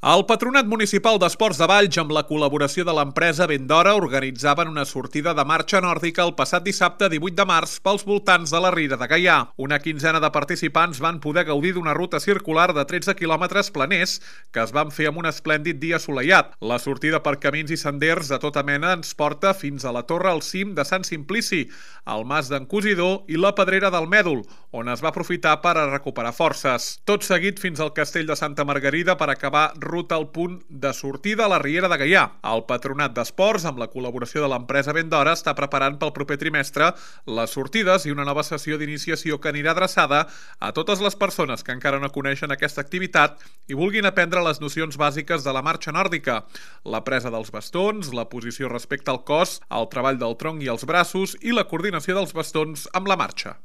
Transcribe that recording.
El Patronat Municipal d'Esports de Valls, amb la col·laboració de l'empresa Vendora, organitzaven una sortida de marxa nòrdica el passat dissabte 18 de març pels voltants de la Riera de Gaià. Una quinzena de participants van poder gaudir d'una ruta circular de 13 quilòmetres planers que es van fer amb un esplèndid dia assolellat. La sortida per camins i senders de tota mena ens porta fins a la Torre al cim de Sant Simplici, al Mas d'en Cosidor i la Pedrera del Mèdol, on es va aprofitar per a recuperar forces. Tot seguit fins al Castell de Santa Margarida per acabar ruta al punt de sortida a la Riera de Gaià. El Patronat d'Esports, amb la col·laboració de l'empresa Vendora, està preparant pel proper trimestre les sortides i una nova sessió d'iniciació que anirà adreçada a totes les persones que encara no coneixen aquesta activitat i vulguin aprendre les nocions bàsiques de la marxa nòrdica, la presa dels bastons, la posició respecte al cos, el treball del tronc i els braços i la coordinació dels bastons amb la marxa.